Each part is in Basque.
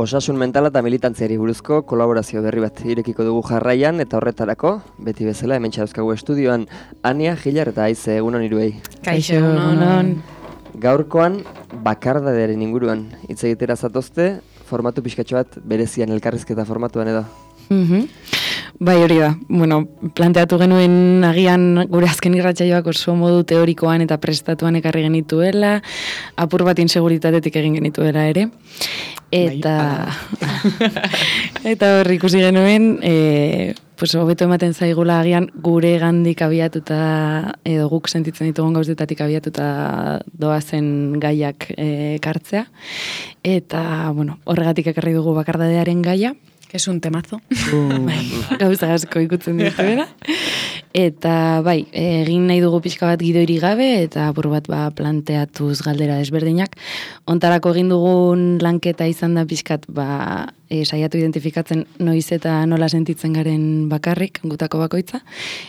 osasun mentala eta militantziari buruzko kolaborazio berri bat irekiko dugu jarraian, eta horretarako, beti bezala, hemen txauzkagu estudioan, Ania, Gilar eta Aize, egunon iruei. Kaixo, egunon. Gaurkoan, bakardadearen inguruan hitz egitera zatozte, formatu pixkatxo bat berezian elkarrizketa formatuan edo. Bai, hori da. Bueno, planteatu genuen agian gure azken irratsaioak oso modu teorikoan eta prestatuan ekarri genituela, apur bat inseguritatetik egin genituela ere. Eta eta hor ikusi genuen, pues hobeto ematen zaigula agian gure gandik abiatuta edo guk sentitzen ditugun gauzetatik abiatuta doazen gaiak ekartzea. Eta, bueno, horregatik ekarri dugu bakardadearen gaia. Es un temazo. Gauza asko ikutzen dituela. Eta bai, egin nahi dugu pixka bat gidoiri gabe eta apur bat planteatuz galdera desberdinak. Ontarako egin dugun lanketa izan da pixkat saiatu identifikatzen noiz eta nola sentitzen garen bakarrik, gutako bakoitza.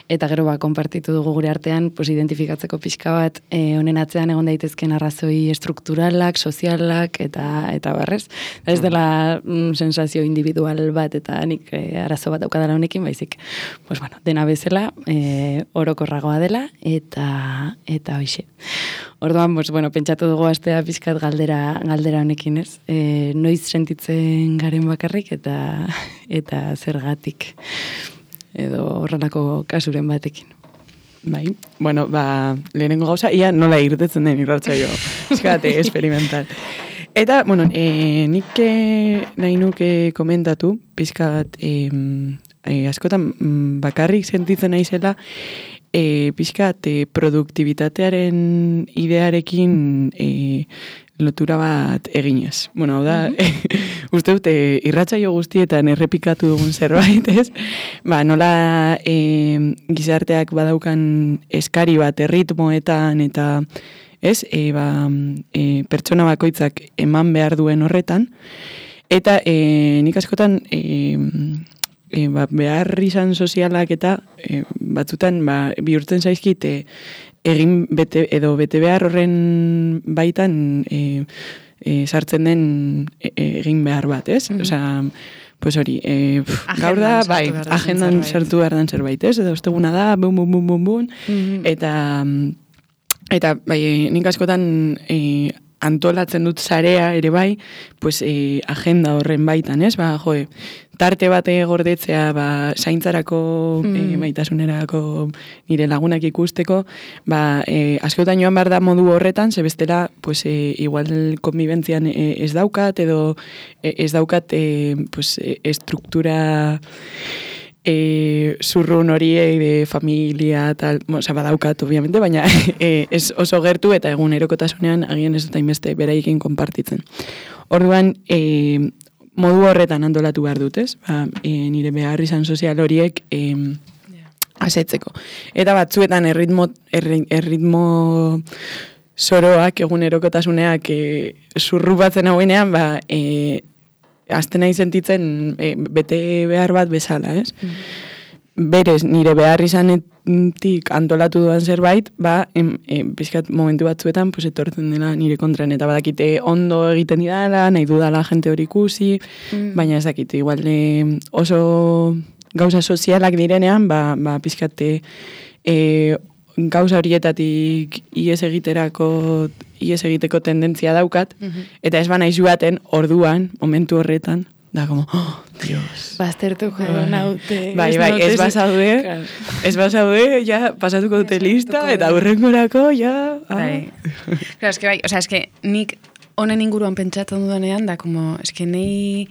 Eta gero konpartitu dugu gure artean, pues, identifikatzeko pixka bat honen atzean egon daitezken arrazoi strukturalak, sozialak eta barrez. Ez dela sensazio individual bat eta nik arazo bat daukadala honekin, baizik. Pues bueno, dena bezala, orokorragoa dela eta hoixe. Orduan, pues, bueno, pentsatu dugu astea pixkat galdera honekin, ez? Noiz sentitzen garen bakarrik eta zergatik edo horrelako kasuren batekin. Bai, bueno, lehenengo gauza, ia nola irtetzen den irratsaio. Eskate, experimental. Eta, bueno, nik nahi nuke komentatu, pixkat, askotan bakarrik sentitzen naizela, pixkat produktibitatearen idearekin lotura bat eginez. Bueno, hau da, uste dute irratsaio guztietan errepikatu dugun zerbait, ez? Nola gizarteak badaukan eskari bat erritmoetan eta ez, pertsona bakoitzak eman behar duen horretan. Eta nik askotan behar izan sozialak eta batzutan bihurtzen zaizkit egin bete behar horren baitan sartzen den egin behar bat, ez? Osea, pues hori, gaur da, agendan sartu behar den zerbait, ez? Eta osteguna da, bum, eta nik askotan antolatzen dut zarea ere bai, pues agenda horren baitan, ez? Tarte bate gordetzea, zaintzarako, baitasunerako nire lagunak ikusteko, askotan joan behar da modu horretan, ze bestela, pues, igual konbibentzian ez daukat, edo ez daukat, pues, estruktura zurrun horiei de familia tal, badaukat, obviamente, baina ez oso gertu eta egunerokotasunean agian ez dut hainbeste beraiekin konpartitzen. Orduan, modu horretan antolatu behar dut, ez? Nire behar izan sozial horiek asetzeko. Eta batzuetan erritmo zoroak, egunerokotasuneak zurrupatzen hauenean, azten nahi sentitzen bete behar bat bezala, ez? Berez, nire behar izanetik antolatu duan zerbait, pixkat momentu batzuetan etortzen dela nire kontran, eta badakite ondo egiten didala, nahi dudala jente hori ikusi, baina ez dakite, igual oso gauza sozialak direnean, pixkate gauza horietatik ies egiteko tendentzia daukat, eta ez naiz joaten orduan, momentu horretan, da como, oh, Dios. Baztertuko naute. Bai, ez bazaude, ja, pasatuko dute lista, eta hurrengorako, ja. Claro, es que bai, o sea, es que nik honen inguruan pentsatzen dudanean, da como, es que nei...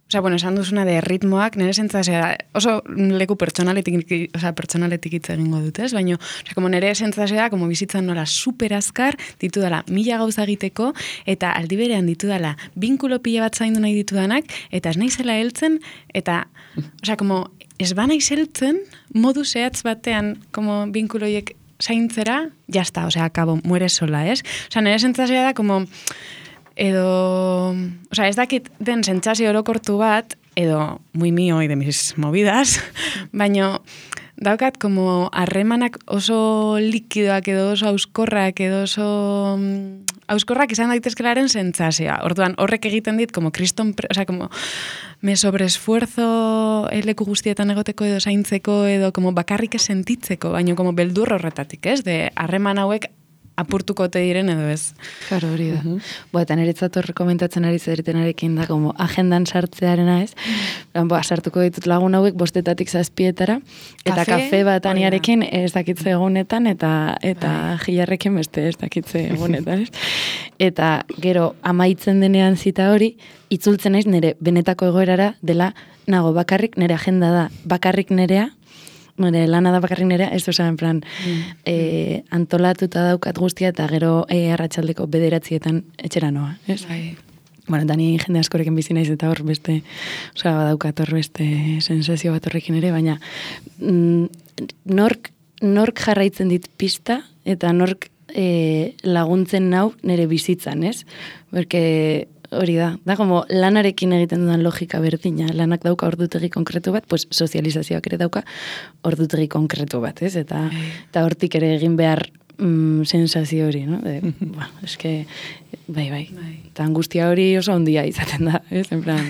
Osea, bueno, esan duzuna de ritmoak, nire sentzazioa, oso leku pertsonaletik hitz egingo dut, ez? Baina, como nire sentzazioa, como bizitzan nola super azkar, ditudala 1000 gauza egiteko, eta aldi berean ditudala binkulo pila bat zaindu nahi ditudanak, eta ez naizela heltzen, eta, osea, como, ez banaiz heltzen, modu zehatz batean, como binkuloiek zaintzera, jazta, osea, akabo, muere sola, ez? Osea, nire sentzazioa da, como... Edo, osea, ez dakit den sentsazio orokortu bat, edo muy mío y de mis movidas, baina, daukat como harremanak oso likidoak edo oso auskorrak edo oso auskorrak izan daitezkelaren sentsazioa. Orduan, horrek egiten dit, como kriston, como me sobreesfuerzo leku guztietan egoteko edo zaintzeko edo como bakarrik sentitzeko, baino como beldur horretatik, ez? De harreman hauek apurtuko te diren edo ez. Claro, hori da. Eta niretzat hor komentatzen ari zeritenarekin da, como agendan sartzearena ez. Sartuko ditut lagun hauek 5:00 7:00 eta kafe bat aniarekin ez dakitze egunetan eta jilarrekin beste ez dakitze egunetan ez. Eta gero amaitzen denean zita hori, itzultzen naiz nire benetako egoerara dela nago bakarrik, nire agenda da bakarrik nerea, nire lana da bakarrik nerea, ez osa, en plan, antolatuta daukat guztia, eta gero arratsaldeko 9:00 etxera noa, ez? Bueno, eta ni jende askorekin bizi naiz eta hor beste, badaukat hor beste sensazio bat horrekin ere, baina nork jarraitzen dit pista, eta nork laguntzen nau nire bizitzan, ez? Porque hori da como lanarekin egiten dudan logika berdina, lanak dauka ordutegi konkretu bat, pues sozializazioak ere dauka ordutegi konkretu bat, ez? Eta hortik ere egin behar sensazio hori, no? Eske, bai. Eta angustia hori oso handia izaten da, ez? En plan,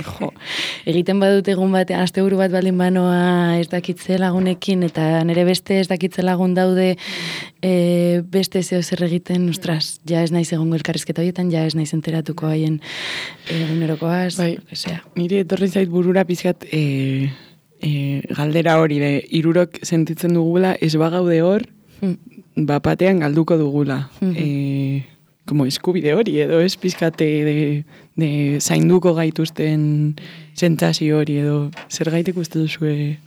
egiten badut egun batean, asteburu bat baldin banoa ez dakitze lagunekin, eta nire beste ez dakitze lagun daude beste zeo zer egiten, ostras, ja ez naiz egongo elkarrizketa horietan, ja ez naiz enteratuko haien egunerokoaz, nire etorri zait burura pizkat galdera hori, hirurok sentitzen dugula, ez bagaude hor, bapatean galduko dugula. Como eskubide hori, edo ez pizkate de zainduko gaituzten sentsazio hori, edo zer gaitek uste duzue?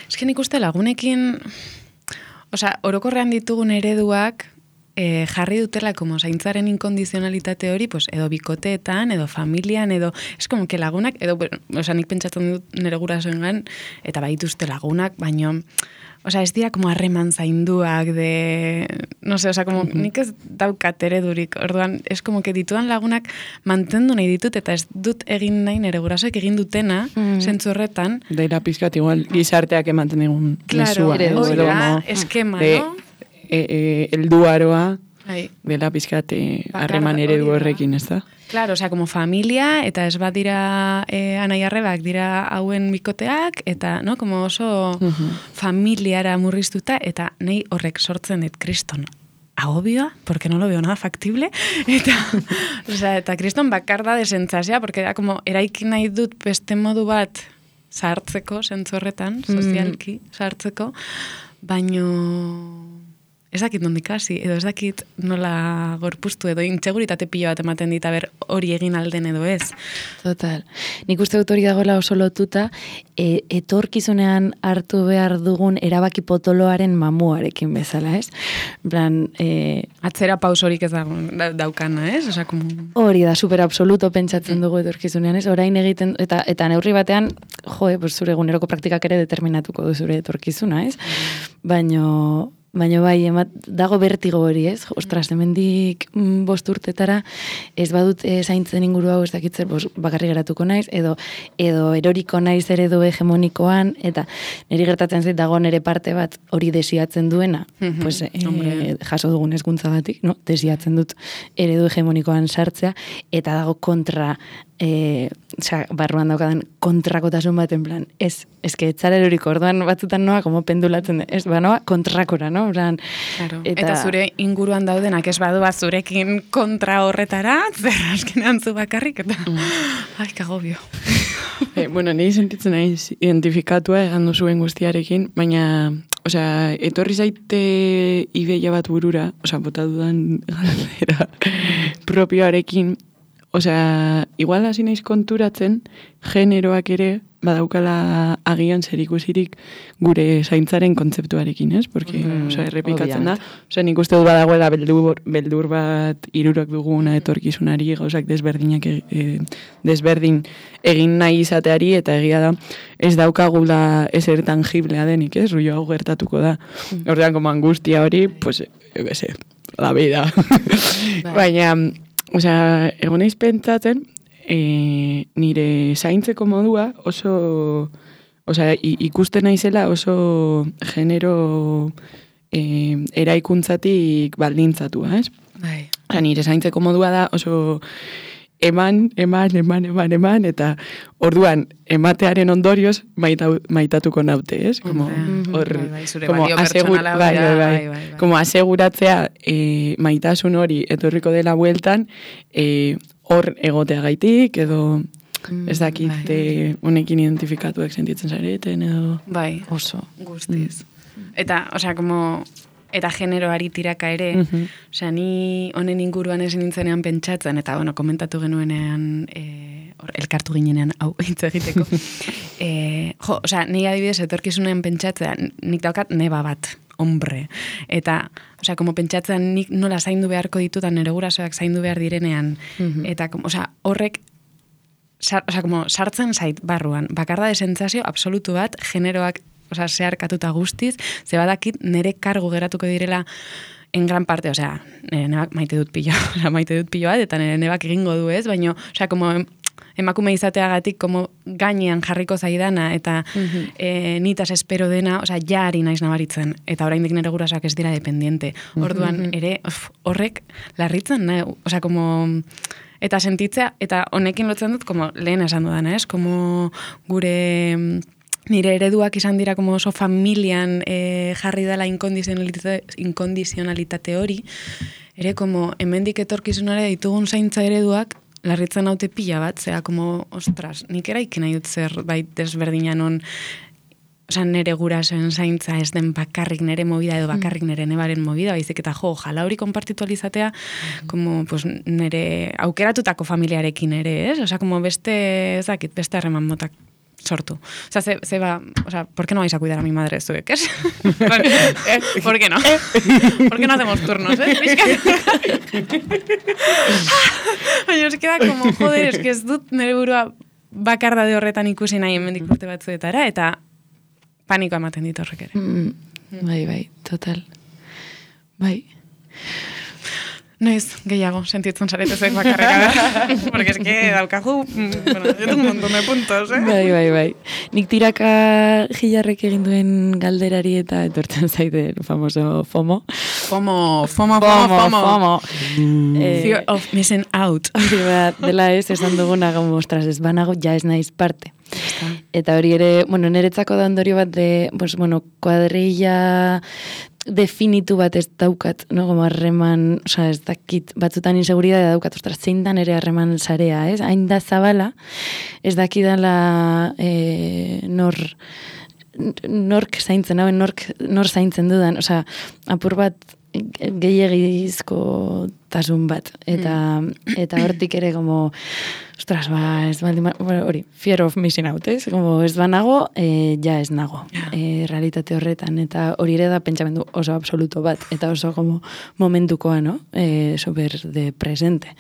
Ez que nik uste lagunekin, orokorrean ditugun ereduak jarri dutela como zaintzaren inkondizionalitate hori, pues, edo bikoteetan, edo familian, edo, es como que lagunak, edo, nik pentsatzen dut nire gurasoengan, eta baituzte lagunak, baino, ez dira como harreman zainduak de, no sé, como nik ez daukat eredurik, orduan, es como que dituan lagunak mantendu nahi ditut, eta ez dut egin nahi nire gurasoek egin dutena, zentzu horretan. Daira pizkat igual gizarteak ematen egun mesua. Claro, hori da, eskema, no? Elduaroa dela pizkat harreman eredu horrekin, ez da? Claro, como familia, eta ez bat dira anai-arrebak dira hauen bikoteak, eta, no, como oso familiara murriztuta, eta nahi horrek sortzen dit kriston agobioa, porque no lo veo nada factible, eta kriston bakar da desentzazia, porque da, como, eraiki nahi dut beste modu bat sartzeko, zentzu horretan, sozialki sartzeko, baino ez dakit nondik hasi, edo ez dakit nola gorpuztu, edo intseguritate pilo bat ematen dit, hori egin alden edo ez. Total. Nik uste dut hori dagoela oso lotuta, etorkizunean hartu behar dugun erabaki potoloaren mamuarekin bezala, ez? En plan, atzera pausorik ez daukana, ez? Hori da, super absoluto pentsatzen dugu etorkizunean, ez? Orain egiten, eta neurri batean, zure eguneroko praktikak ere determinatuko du zure etorkizuna, ez? Baino bai, dago bertigo hori, ez? Ostras, hemendik 5 urtetara, ez badut zaintzen inguru hau ez dakitzer, bakarri geratuko naiz, edo eroriko naiz eredu hegemonikoan, eta niri gertatzen zait dago nire parte bat hori desiatzen duena, pues, jaso dugun hezkuntzagatik, no? Desiatzen dut eredu hegemonikoan sartzea, eta dago kontra, barruan daukadan kontrakotasun bat, en plan, ez que etzara eroriko, orduan batzutan noa, como pendulatzen, ez, noa kontrakora, no? Plan, claro. Eta zure inguruan daudenak ez badu bat zurekin kontra horretara, zer askenean zu bakarrik, eta ai, kagobio. Bueno, nahi sentitzen naiz identifikatua egan duzuen guztiarekin, baina, etorri zaite ideia bat burura, bota dudan galdera propioarekin, igual hasi naiz konturatzen, generoak ere badaukala agian zerikusirik gure zaintzaren kontzeptuarekin, ez? Porque, errepikatzen da. Nik uste dut badagoela beldur bat hirurok duguna etorkizunari, gauzak desberdin egin nahi izateari, eta egia da, ez daukagula ezer tangiblea denik, ez? Ruio hau gertatuko da. Ordean, como angustia hori, pues, la vida. Baina, egon naiz pentsatzen, nire zaintzeko modua oso osea, ikusten naizela oso genero eraikuntzatik baldintzatua, ez? Bai. Nire zaintzeko modua da oso eman, eta orduan ematearen ondorioz maitatuko naute, ez? Como, zure balio pertsonala. Bai. Como aseguratzea maitasun hori etorriko dela bueltan, hor egotea gaitik, edo ez dakit honekin identifikatuak sentitzen zareten, edo... Bai, oso. Guztiz. Eta, osea, como... Eta generoari tiraka ere, osea, ni honen inguruan ezin nintzenean pentsatzen, eta, bueno, komentatu genuenean, elkartu ginenean, hau, hitz egiteko. Osea, ni adibidez, etorkizunean pentsatzen, nik daukat neba bat, hombre. Eta, osea, como pentsatzen nik nola zaindu beharko ditutan, nire gurasoak zaindu behar direnean, eta, osea, horrek, como sartzen zait barruan, bakarda de sentsazio absolutu bat, generoak, osea, zeharkatuta guztiz, ze badakit nire kargu geratuko direla en gran parte, osea, nire nebak maite dut pilo bat, eta nire nebak egingo du ez, baina, osea, como emakume izateagatik, como gainean jarriko zaidana, eta nitaz espero dena, osea, ja ari naiz nabaritzen, eta oraindik nire gurasoak ez dira dependiente. Orduan, ere, horrek larritzen, osea, como... Eta sentitzea, eta honekin lotzen dut, como lehen esan dudana, ez? Como gure... Nire ereduak izan dira como oso familian jarri dela inkondizionalitate hori, ere como hemendik etorkizunare ditugun zaintza ereduak larritzen haute pila bat, zera como, ostras, nik eraiki nahi dut zerbait desberdinan on, osea, nire gurasoen zaintza ez den bakarrik nire movida edo bakarrik nire nebaren movida, baizik eta ojalá hori konpartitu alizatea, como, pues, nire aukeratutako familiarekin ere, ez? Osea, como beste, ezakit, beste harreman motak sortu. O sea, se va, o sea, ¿por qué no vais a cuidar a mi madre esto? ¿Qué es? ¿Por qué no? ¿Por qué no hacemos turnos, Baina, ez queda como, joder, es que ez dut nire burua bakarda de horretan ikusi nahi hemendik urte batzuetara, eta panikoa ematen dit horrek ere. Bai, total. Bai. Noiz, gehiago, sentitzen zaretezuek bakarreka. Porque es que daukaju, bueno, yo tengo un montón de puntos, Bai. Nik tiraka Gilarrek egin duen galderari eta etortzen zaite el famoso FOMO. FOMO. Fear of missing out. Dela ez, esan duguna, como, ostras, ez banago, ja ez naiz parte. Eta hori ere, bueno, niretzako da ondorio bat de, pues, bueno, kuadrilla definitu bat ez daukat, no? Como harreman, o sea, ez dakit, batzutan inseguridadea daukat, ostras, zein dan ere harreman sarea, ez? Hain da zabala, ez dakidala nork zaintzen, nor zaintzen dudan, o sea, apur bat gehiagizko tasun bat, eta hortik ere como, ostras, ez baldin, hori, fear of missing out, ez? Como ez banago, ja ez nago, realitate horretan, eta hori ere da pentsamendu oso absoluto bat, eta oso como momentukoa, no? Super de presente.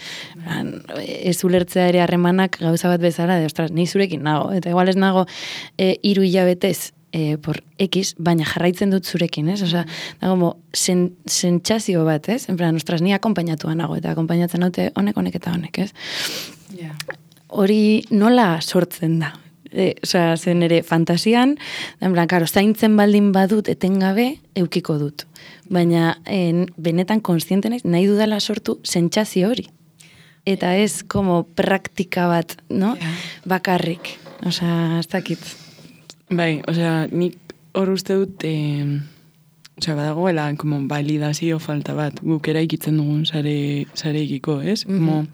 Ez ulertzea ere harremanak gauza bat bezala, de, ostras, nahi zurekin nago, eta igual ez nago 3 hilabetez, por X, baina jarraitzen dut zurekin, ez? Osea, da como sentsazio bat, ez? En plan, ostras, ni akompainatua nago, eta akompainatzen naute honek eta honek, ez? Hori nola sortzen da? Osea, zen ere fantasian, en plan, karo, zaintzen baldin badut etengabe eukiko dut. Baina benetan kontziente naiz, nahi dudala sortu sentsazio hori. Eta ez como praktika bat, no? Bakarrik. Osea, ez dakit. Bai, osea, nik hor uste dut, osea, badagoela, como validazio falta bat, guk eraikitzen dugun sareikiko, ez? Como,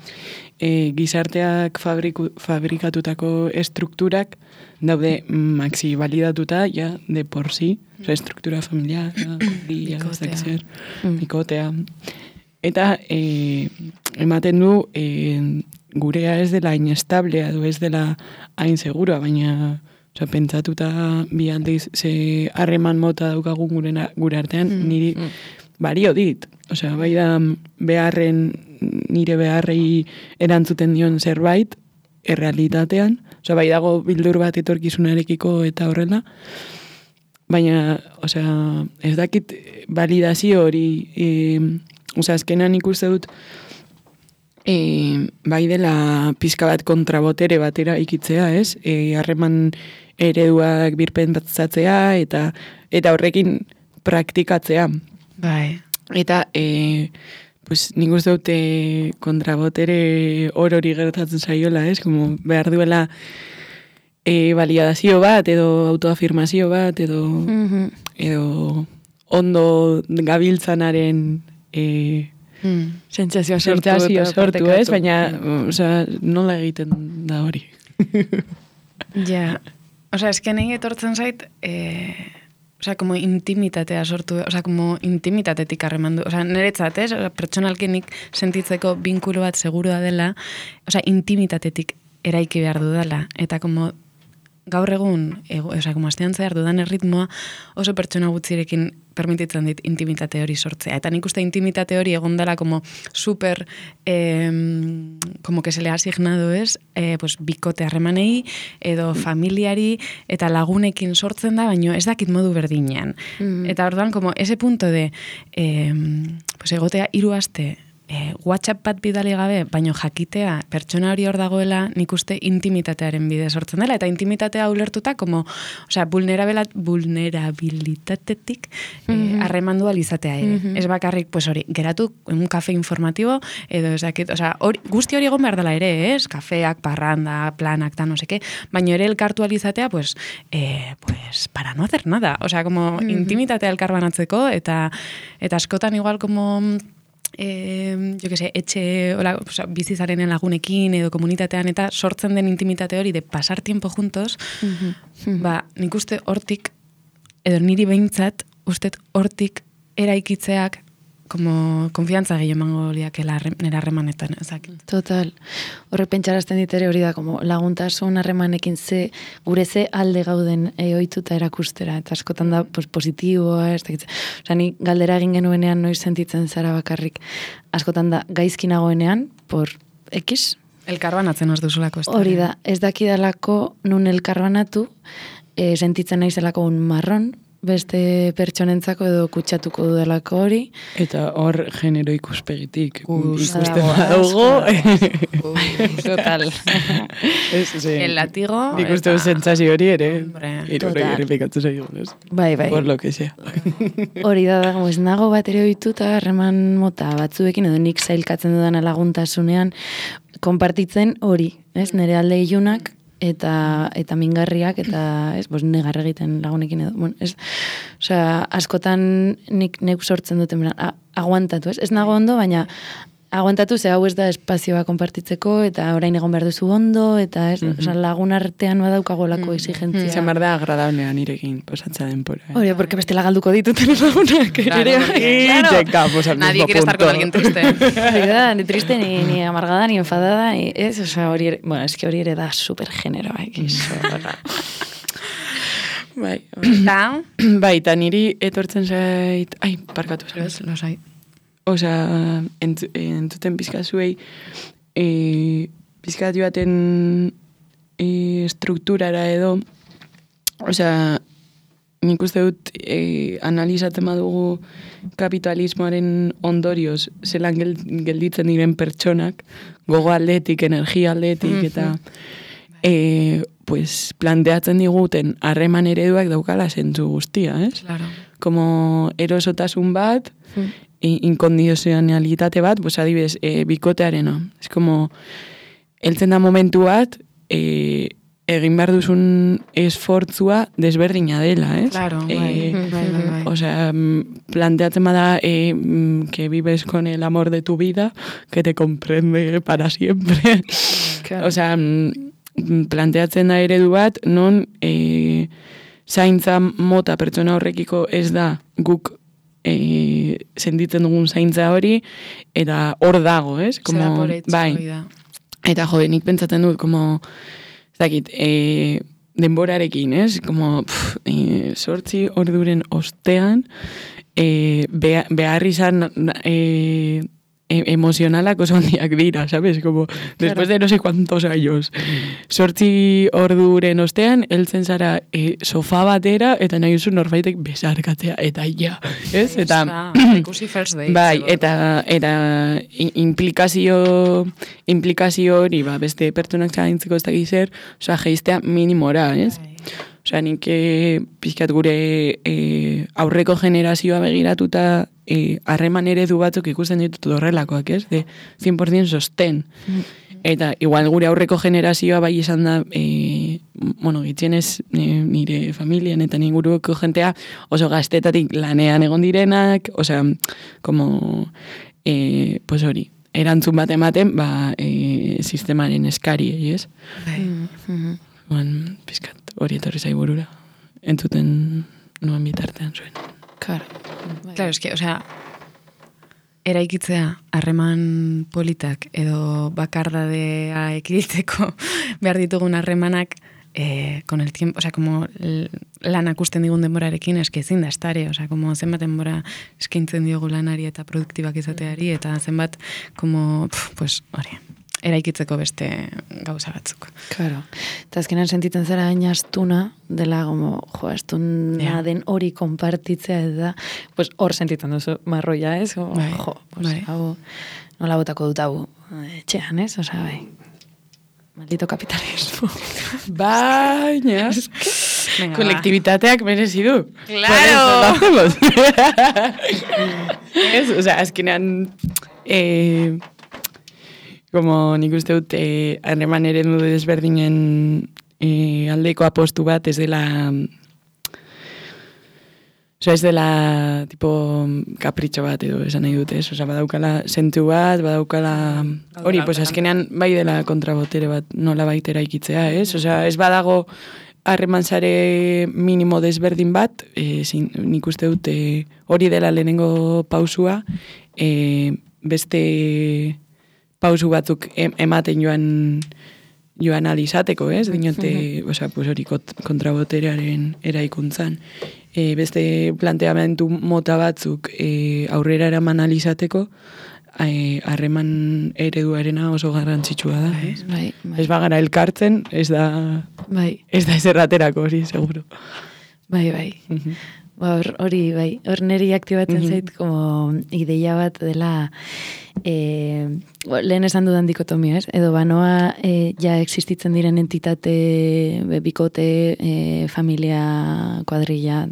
gizarteak fabrikatutako estrukturak daude maxi validatuta, ja, de por sí, osea, estruktura familiar, bikotea. Eta ematen du, gurea ez dela inestablea, edo ez dela hain segura, baina... Osa, pentsatuta bi aldiz ze harreman mota daukagun gure artean, niri bario dit. Osea, bai da nire beharrei erantzuten dion zerbait, errealitatean. Osea, bai dago bildur bat etorkizunarekiko eta horrela. Baina, osea, ez dakit validazio hori, osea, azkenan ikuste dut, bai dela pizka bat kontrabotere batera ikitzea, ez? Harreman ereduak birpentsatzea eta horrekin praktikatzea. Bai. Eta, pues, nik uste dute kontrabotere hori gertatzen zaiola, ez? Como behar duela validazio bat, edo autoafirmazio bat, edo ondo gabiltzanaren sentsazioa sortu, ez? Baina, nola egiten da hori? Ja, eske nahi etortzen zait, como intimitatea sortu, como intimitatetik harremandu, niretzat, ez? Pertsonalki nik sentitzeko binkulo bat segurua dela, intimitatetik eraiki behar dudala, eta como gaur egun, como astean zehar dudan erritmoa, oso pertsona gutzirekin permititzen dit intimitate hori sortzea. Eta nik uste intimitate hori egon dela como super, como que se le ha asignado, ez? Pues bikote harremanei, edo familiari, eta lagunekin sortzen da, baino ez dakit modu berdinean. Eta orduan, como ese punto de, pues egotea 3 aste, WhatsApp bat bidali gabe, baino jakitea pertsona hori hor dagoela, nik uste intimitatearen bide sortzen dela, eta intimitatea ulertuta, como, vulnerabilitatetik harremandu alizatea ere. Ez bakarrik, pues hori, geratu un kafe informatibo, edo ez dakit, guzti hori egon behar dela ere, ez? Kafeak, parranda, planak, no seke, baino ere elkartu alizatea, pues para no hacer nada. Como intimitatea elkarbanatzeko, eta askotan igual, como etxe bizizaren lagunekin edo komunitatean eta sortzen den intimitate hori de pasar tiempo juntos, nik uste hortik, edo niri behintzat, uste hortik eraikitzeak como konfiantza gehiago emango liakela nera harremanetan, ezakit. Total. Horrek pentsarazten ditere hori da, como laguntasun harremanekin gure ze alde gauden ohituta erakustera, eta askotan da positiboa, ez dakit. Ni galdera egin genuenean noiz sentitzen zara bakarrik. Askotan da gaizki nagoenean, por X. Elkarbanatzen az duzulako. Hori da, ez dakidalako nun elkarbanatu, sentitzen naizelako un marron, beste pertsonentzako edo kutsatuko dudalako hori. Eta hor genero ikuspegitik ikusten badugu. Total. El latigo. Ikusten sentsazio hori ere. Irurri errepikatzen zaigu. Bai. Por lo que sea. Hori da, ez nago bat ere ohituta harreman mota batzuekin, edo nik zailkatzen dudana laguntasunean, konpartitzen hori, ez? Nire alde ilunak, eta mingarriak, eta negar egiten lagunekin edo. Askotan nik sortzen duten, aguantatu, ez nago ondo, baina aguantatu, ze hau ez da espazioa konpartitzeko, eta orain egon behar duzu ondo, eta lagun artean badaukagolako exigentzia. Izan behar da agradablean irekin posatza denpora. Hori, porque bestela galduko dituten lagunak. Claro. Nadie quiere estar con alguien triste. Hori da, ni triste, ni amargada, ni enfadada, hori ere, bueno, es que hori ere da supergeneroa, Bai, eta niri etortzen zait, parkatu zait. Lasai. Entzuten pizkazuei pizkatu baten strukturara edo, nik uste dut analizatzen badugu kapitalismoaren ondorioz zelan gelditzen diren pertsonak, gogo aldetik, energia aldetik, eta planteatzen diguten harreman ereduak daukala zentzu guztia, ez? Claro. Como erosotasun bat, inkondizionalitate bat, adibidez, bikotearena. Ez como, heltzen da momentu bat, egin behar duzun esfortzua desberdina dela, ez? Claro, bai. Planteatzen bada que vives con el amor de tu vida, que te comprende para siempre. Claro. Planteatzen da eredu bat, non zaintza mota pertsona horrekiko ez da guk sentitzen dugun zaintza hori, eta hor dago, ez? Bai. Eta nik pentsatzen dut, denborarekin, ez? 8 orduren ostean, behar izan emozionalak oso handiak dira, ¿sabes? Como, después de no sé cuántos años. 8 orduren ostean, heltzen zara sofa batera, eta nahi duzu norbaitek besarkatzea, eta ja, ez? Eta, ikusi first date. bai, eta implikazio hori, beste pertsonak zaintzeko ez dakiz zer, osea, geiztea minimora, ez? Osea, nik pixkat gure aurreko generazioa begiratuta harreman eredu batzuk ikusten ditut horrelakoak, ez? De 100% sosten. Eta igual gure aurreko generazioa bai izan da, gitxienez nire familian eta inguruko jentea oso gaztetatik lanean egon direnak, osea, como, pues hori, erantzun bat ematen, sistemaren eskari, ez? Pizkat, hori etorri zaiburura. Entzuten nuen bitartean zuen. Claro, eske, osea, eraikitzea harreman politak edo bakardadea ekiditeko behar ditugun harremanak con el tiempo, osea, como lanak usten digun denborarekin eske ezin da estare, osea, como zenbat denbora eskaintzen diogu lanari eta produktibak izateari, eta zenbat, como, pues, hori, eraikitzeko beste gauza batzuk. Claro. Eta azkenan sentitzen zara hain astuna, dela, como, astuna den hori konpartitzea, eta, pues, hor sentitzen duzu marroia, ez? Hau, nola botako dut hau, etxean, ez? Osa, bai, maldito kapitalismo. Baina, kolektibitateak merezi du. Claro! Ez, osa, azkenan, como nik uste dut, harreman eredu desberdinen aldeko apostu bat, ez dela, tipo, kapritxo bat edo esan nahi dut, ez? Osa, badaukala sentu bat, badaukala, hori, pues azkenean bai dela kontrabotere bat nola baitera ikitzea, ez? Osa, ez badago harreman sare minimo desberdin bat, nik uste dut hori dela lehenengo pausua, beste pausu batzuk ematen joan alizateko, ez? Dinote, pues hori kontraboterearen eraikuntzan. Beste planteamentu mota batzuk aurrera eraman alizateko, harreman ereduarena oso garrantzitsua da, ez? Bai. Ez bagara elkartzen, ez da ezerraterako hori, seguro. Bai. Hori, bai, hor neri aktibatzen zait, como ideia bat dela, lehen esan dudan dikotomia, ez? Edo banoa ja existitzen diren entitate, bikote, familia, kuadrilla,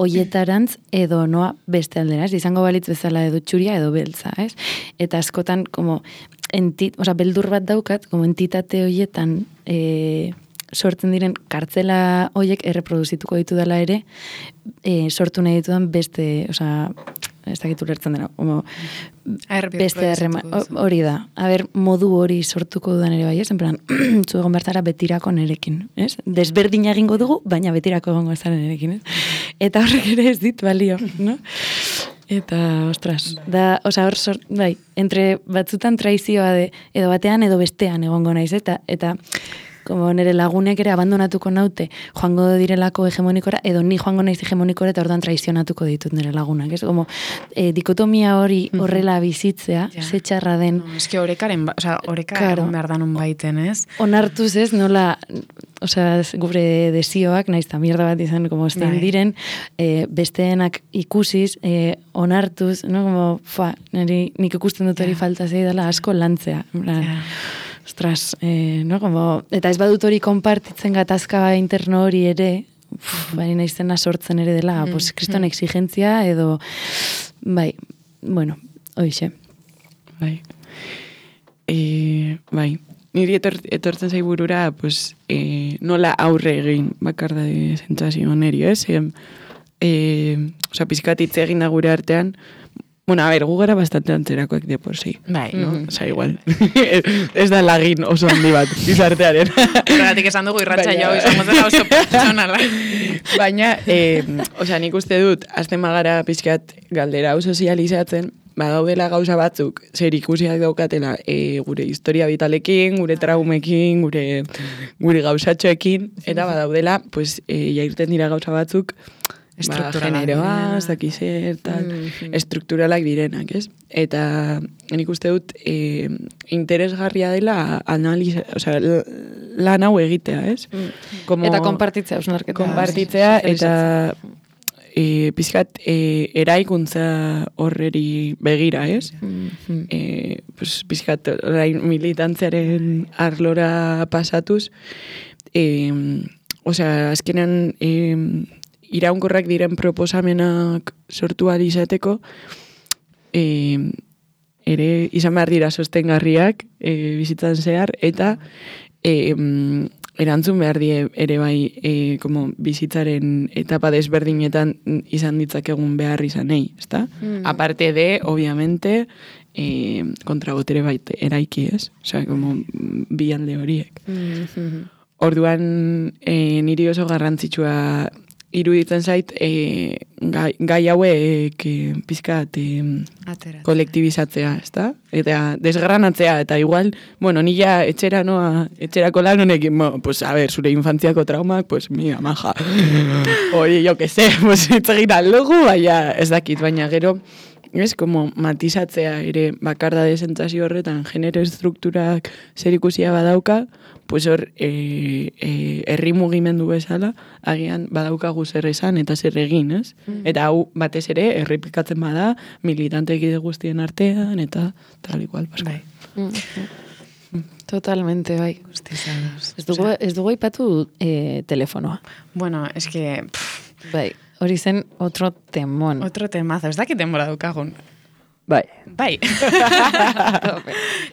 hoietarantz, edo noa beste aldera, ez? Izango balitz bezala edo txuria edo beltza, ez? Eta askotan, como, beldur bat daukat, como entitate hoietan, sortzen diren kartzela hoiek erreproduzituko ditu dela ere, sortu nahi ditudan beste, ez dakitu lertzen dena, beste hori da. Modu hori sortuko dudan ere bai, ez? En plan, zu egon bertara betirako nerekin, ez? Desberdina egingo dugu, baina betirako egongo ezaren nerekin, ez? Eta horrek ere ez dit balio, no? Eta, ostras, bai, entre batzutan traizioa edo batean edo bestean egongo naiz, eta como nire lagunek ere abandonatuko naute joango direlako hegemonikora, edo ni joango naiz hegemonikora eta orduan traizionatuko ditut nire lagunak. Ez como dikotomia hori horrela bizitzea, ze txarra den. Eske orekaren, behar danon baiten, ez? Onartuz ez, nola, gure desioak, naiz ta mierda bat izan, como estein diren, besteenak ikusiz, onartuz, no, como, nik ikusten dut hori falta zeidala asko lantzea. Ostras, no, como, eta ez badut hori konpartitzen gatazka interno hori ere, baina naizena sortzen ere dela, pues, kriston exigentzia edo, bai, bueno, hoixe. Bai. Niri etortzen zaiburura, pues, nola aurre egin bakarda de sentsazio neri, ez? Pizkatitze egin da gure artean, bueno, gu gara bastante antzerakoak de por sí. Bai, no? Igual. Ez da lagin oso handi bat, izartearen. Horregatik esan dugu irratxa jau, izango zela oso pertsonala. Baina, nik uste dut, azten magara pizkat galdera hau sozializatzen, badaudela gauza batzuk, zer ikusiak daukatela gure historia vitalekin, gure traumekin, gure gauzatxoekin, eta badaudela, pues, jairten dira gauza batzuk, generoa, ez dakizer, tal, estrukturalak direnak, ez? Eta nik uste dut interesgarria dela lan hau egitea, ez? Eta konpartitzea, osnarketa. Konpartitzea, eta pizkat eraikuntza horreri begira, ez? Pizkat orain militantziaren arlora pasatuz, azkenan iraunkorrak diren proposamenak sortu ahal izateko, ere izan behar dira sostengarriak bizitzan zehar, eta erantzun behar die ere bai como bizitzaren etapa desberdinetan izan ditzakegun behar izanei, ezta? Aparte de, obviamente, kontrabotere bait eraiki, ez? Osea, como bi alde horiek. Orduan, niri oso garrantzitsua iruditzen zait, gai hauek pizkat kolektibizatzea, ezta? Eta desgranatzea, eta igual, bueno, nila etxerako lan honekin, pues, a ver, zure infantziako traumak, pues, mira, maja. Oye, yo que sé, pues, itzegin aldugu, ez dakit, baina gero, ez, como matizatzea ere bakardade sentsazio horretan genero estrukturak zerikusia badauka, pues hor herri mugimendu bezala agian badaukagu zer esan eta zer egin, ez? Eta hau batez ere errepikatzen bada militante gide guztien artean eta tal igual, bai. Totalmente, bai. Ez dugu aipatu telefonoa. Bueno, es que bai. Hori zen otro temón. Otro temazo. Ez dakit denbora daukagun. Bai.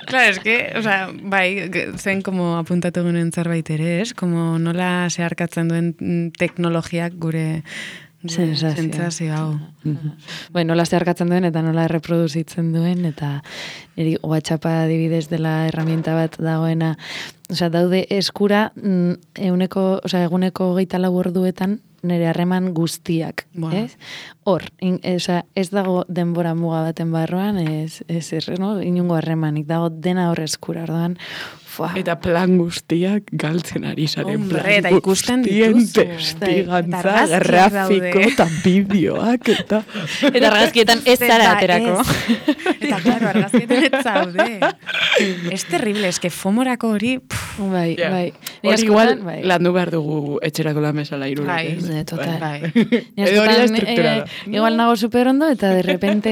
Claro, es que, o sea, bai, zen como apuntatu gunen zerbait ere, ez? Como nola zeharkatzen duen teknologiak gure sentsazio hau. Bai, nola zeharkatzen duen eta nola erreproduzitzen duen, eta niri WhatsAppa adibidez dela herramienta bat dagoena, osea, daude eskura eguneko 24 orduetan nire harreman guztiak, ez? Hor, ez dago denbora muga baten barruan, no? Inungo harremanik, dago dena hor eskura, orduan, eta plan guztiak galtzen ari zaren plan guztien testigantza, grafiko eta bideoak, eta argazkietan ez zara aterako. Eta, claro, argazkietan ez zaude. Ez terrible, ez que fomorako hori... Bai. Hori igual, landu behar dugu etxerako lan bezala irurek. Total. Edo hori da estrukturada. Igual nago super ondo, eta de repente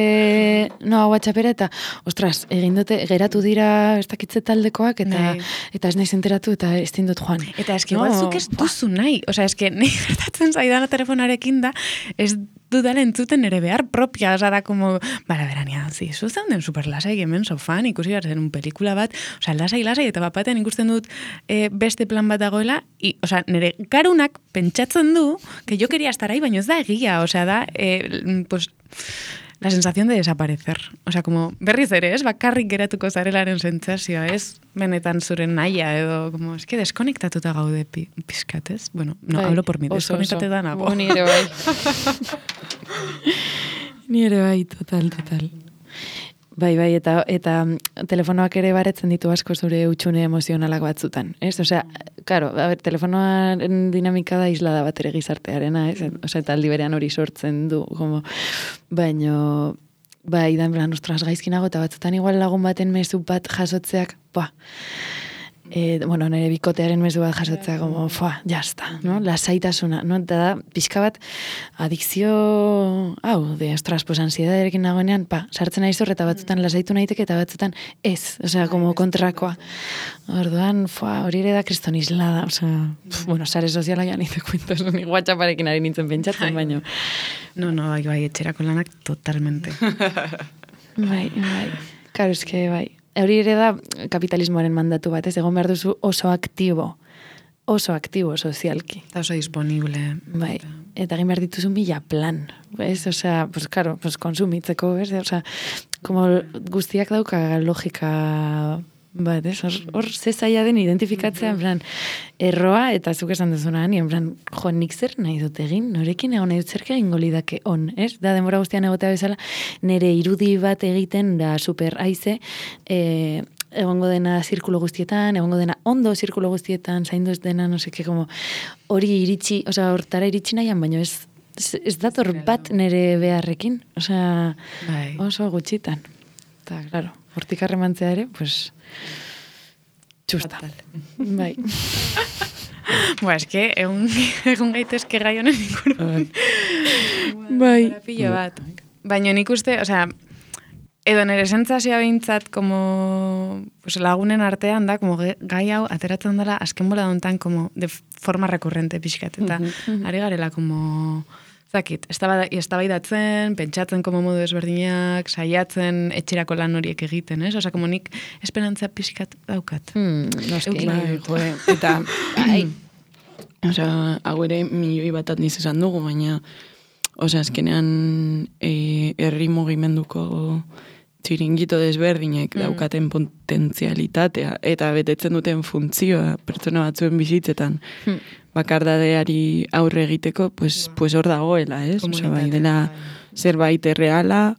noa WhatsAppera, eta, ostras, egin dute, geratu dira ez dakitze taldekoak, eta ez naiz enteratu, eta ez dut joan. Eta eski igual zuk ez duzu nahi. Osea, eski nahi gertatzen zaidana telefonarekin da, ez dudala entzuten ere behar propia, oza, da como, berania, zu zeunden superlasai hemen sofan, ikusi behar zen un pelikula bat, oza, lasai, eta batean ikusten dut beste plan bat dagoela, oza, nire garunak pentsatzen du, que yo quería estar ahí, baina ez da egia, oza, da, pues, la sensación de desaparecer. O sea, como berriz ere, ez? Bakarrik geratuko zarelaren sentsazioa, ez? Benetan zuren naia edo, como, es que deskonektatuta gaude pizkat, ez? Bueno, no, hablo por mi, deskonektatuta nago. Nire bai. Nire bai, total. Bai, eta telefonoak ere baretzen ditu asko zure utxune emozionalak batzutan, ez? Osea, claro, telefonoaren dinamika da islada bat ere gizartearena, ez? Osea, eta aldi berean hori sortzen du, como, baino, bai, da, en plan, ostras, gaizkinago, eta batzutan igual lagun baten mezu bat jasotzeak, bueno, nire bikotearen mezu bat jasotzea, como, jazta, no? Lasaitasuna, no? Eta da, pixka bat, adikzio, ostras, pues, ansiedadarekin nagoenean, sartzen nahi eta batzutan lasaitu nahiteke, eta batzutan ez, osea, como kontrakoa. Orduan, hori ere da kriston islada, osea, bueno, sare soziala ja nite kuentos, ni WhatsApparekin ari nintzen pentsatzen, baino. No, bai, etxerako lanak totalmente. Bai. Karo, eske, bai. Hori ere da kapitalismoaren mandatu bat, ez egon behar duzu oso aktibo sozialki. Eta oso disponible. Bai, eta egin behar dituzun bila plan, ez? Osea, pues, karo, pues, konsumitzeko, ez? Osea, como guztiak dauka logika bat, ez? Hor zezaia den identifikatzea, en plan, erroa, eta zuk esan duzuna, en plan, nik zer nahi dut egin, norekin egon nahi dut zerke egingo lidake on, ez? Da, denbora guztian egotea bezala, nire irudi bat egiten, da, super aize, egongo dena zirkulo guztietan, egongo dena ondo zirkulo guztietan, zaindu ez dena, no seke, como, hori iritsi, osea, hortara iritsi nahian, baino ez ez dator bat nire beharrekin, osea, Bai. oso gutxitan. Eta, claro, hortik harremantzea ere, pues, txusta. Bai. Eske, egun gaitezke gai honen inguruan. Bai. Pilo bat. Baina nik uste, osea, edo nire sentsazioa behintzat, como, pues, lagunen artean da, como gai hau ateratzen dela azken bola dontan, como, de forma recurrente pixkat, eta ari garela, como, zakit, eztabaidatzen, pentsatzen como modu ezberdinak, saiatzen etxerako lan horiek egiten, ez? Osa, como nik esperantza pixkat daukat. Noski. Bai, joe, eta, osea, hau ere milioi bat atniz esan dugu, baina, osea, azkenean herri mugimenduko txiringito desberdinek daukaten potentzialitatea eta betetzen duten funtzioa pertsona batzuen bizitzetan bakardadeari aurre egiteko, pues hor dagoela, ez? Osea, bai dela zerbait erreala,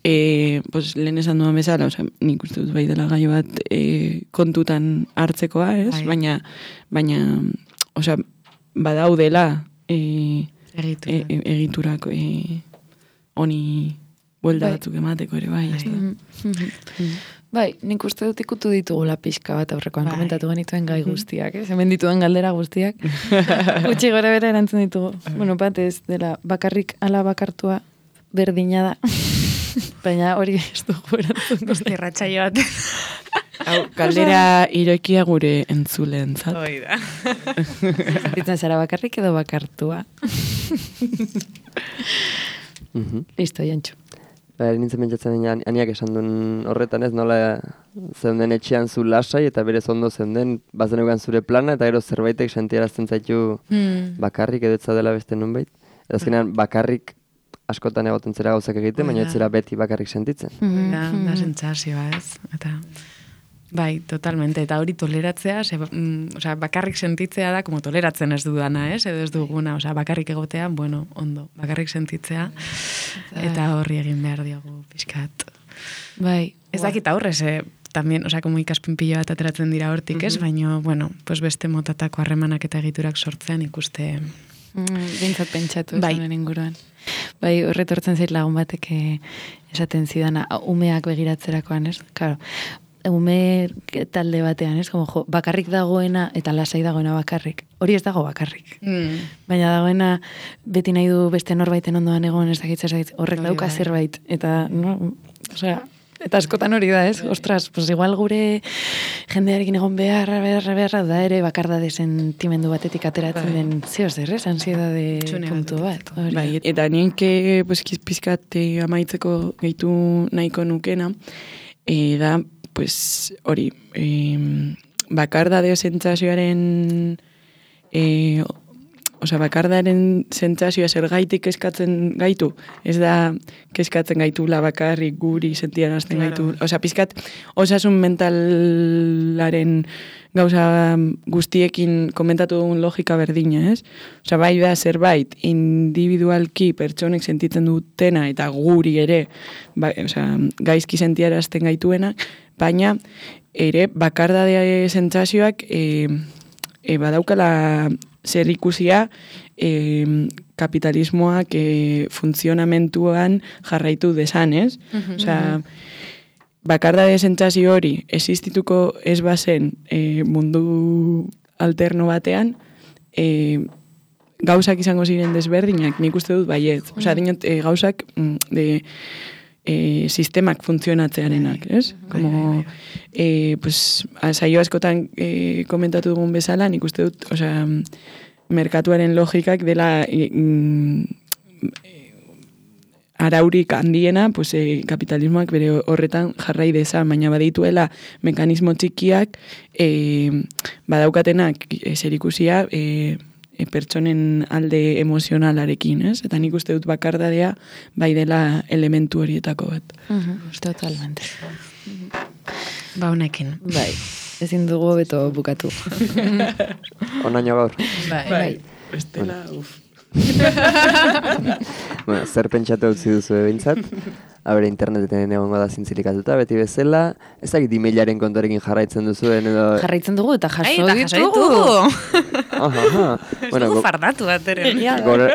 pues lehen esan duan bezala, osea, nik uste dut bai dela gai bat kontutan hartzekoa, ez? Baina, osea, badaudela egiturak honi buelda batzuk emateko ere bai, ez da. Bai, nik uste dut ikutu ditugula pixka bat aurrekoan komentatu genituen gai guztiak, hemen dituen galdera guztiak. Gutxi gora bera erantzun ditugu. Bueno, bat ez dela bakarrik ala bakartua berdina da. Baina hori ez dugu erantzun. Zerratxaio bat. Hau, galdera irekia gure entzuleentzat. Hoi da. Ditzen zara bakarrik edo bakartua. Listo, Jantxu. Nintzen pentsatzen aniak esan duen horretan ez, nola zeunden etxean zu lasai eta berez ondo zeunden bazen egan zure plana eta gero zerbaitek sentiarazten zaitu bakarrik edo etza dela beste nunbait. Eta azkenean bakarrik askotan egoten zera gauzak egiten, baina ez zera beti bakarrik sentitzen. Da sentsazioa ez. Eta, bai, totalmente. Eta hori toleratzea, osea, bakarrik sentitzea da, como toleratzen ez dudana, ez? Edo ez duguna, osea, bakarrik egotea, bueno, ondo, bakarrik sentitzea, eta horri egin behar diogu pixkat. Bai. Ez dakit aurrez, también, osea, como ikaspen pilo bat ateratzen dira hortik, ez? Baina, bueno, pues beste motatako harremanak eta egiturak sortzean ikuste... Bintzat pentsatu bai. Zonen inguruan. Bai, horretortzen zait lagun batek esaten zidana, umeak begiratzerakoan, ez? Claro, ume talde batean, ez? Como, bakarrik dagoena eta lasai dagoena bakarrik. Hori ez dago bakarrik. Baina dagoena beti nahi du beste norbaiten ondoan egon, ez dakit, horrek dauka zerbait. Eta, no, osea, eta askotan hori da, ez? Ostras, pues igual gure jendearekin egon beharra da ere bakardade sentimendu batetik ateratzen den zeo zer, ez? Ansiedade puntu bat. Bai, eta nik pues, pizkat amaitzeko gehitu nahiko nukena, da, pues, hori, bakardade sentsazioaren osea, bakardaren sentsazioa zergaitik kezkatzen gaitu, ez da kezkatzen gaitula bakarrik guri sentiarazten gaitu. Osea, pizkat osasun mentalaren gauza guztiekin komentatu dugun logika berdina, ez? Osea, bai da zerbait individualki pertsonek sentitzen dutena eta guri ere, osea, gaizki sentiarazten gaituena, baina ere bakardade sentsazioak badaukala zer ikusia kapitalismoak funtzionamentuan jarraitu desan, ez? Osea, bakardade sentsazio hori existituko ez bazen mundu alterno batean, gauzak izango ziren desberdinak, nik uste dut baiet. Osea, dinot, gauzak sistemak funtzionatzearenak, ez? Como, pues, saio askotan komentatu dugun bezala, nik uste dut, osea, merkatuaren logikak dela araurik handiena, pues, kapitalismoak bere horretan jarrai dezan, baina badituela mekanismo txikiak badaukatenak zerikusia pertsonen alde emozionalarekin, ez? Eta nik uste dut bakardadea bai dela elementu horietako bat. Totalmente. Ba, honekin. Bai, ezin dugu beto bukatu. Onaino gaur. Bai. Bestela, uf. Bueno, zer pentsatu utzi duzu ebintzat. Habere interneten egongo da zintzilikatuta, beti bezala. Ez dakit emailaren kontorekin jarraitzen duzuen edo... Jarraitzen dugu eta jaso ditugu. Bueno, fardatu bat ere.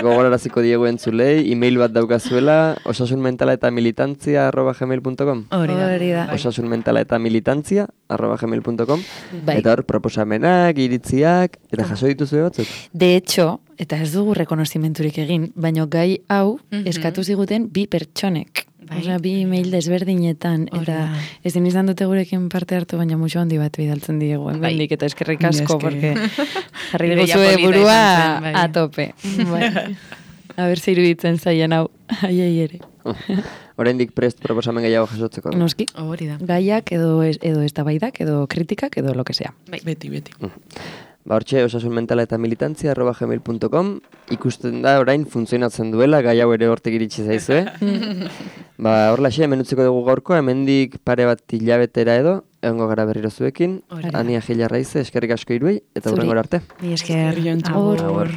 gogoraraziko diegu entzulei, email bat daukazuela, osasunmentalaetamilitantzia@gmail.com. Hori da. osasunmentalaetamilitantzia@gmail.com. Bai. Eta hor, proposamenak, iritziak, eta jaso dituzue batzuk. De hecho, eta ez dugu rekonozimenturik egin, baina gai hau eskatu ziguten 2 pertsonek. Bai. Osea, 2 email desberdinetan, eta ezin izan dute gurekin parte hartu, baina mucho handi bat bidaltzen diegu, hemendik eta eskerrik asko, porque jarri diguzue burua a tope. Bai. A ber, iruditzen zaien hau, aiei ere. Oraindik prest proposamen gehiago jasotzeko. Noski, Hori da. gaiak edo eztabaidak edo kritikak edo lo que sea. Beti. Hortxe, osasunmentalaetamilitantzia@gmail.com. Ikusten da orain funtzionatzen duela, gai hau ere hortik iritsi zaizue. Horlaxe, hemen utziko dugu gaurko, hemendik pare bat hilabetera edo, egongo gara berriro zuekin. Ania Gilarraize, eskerrik asko hiruei, eta hurrengora arte. Esker, Eskerrik asko. Agur. Agur.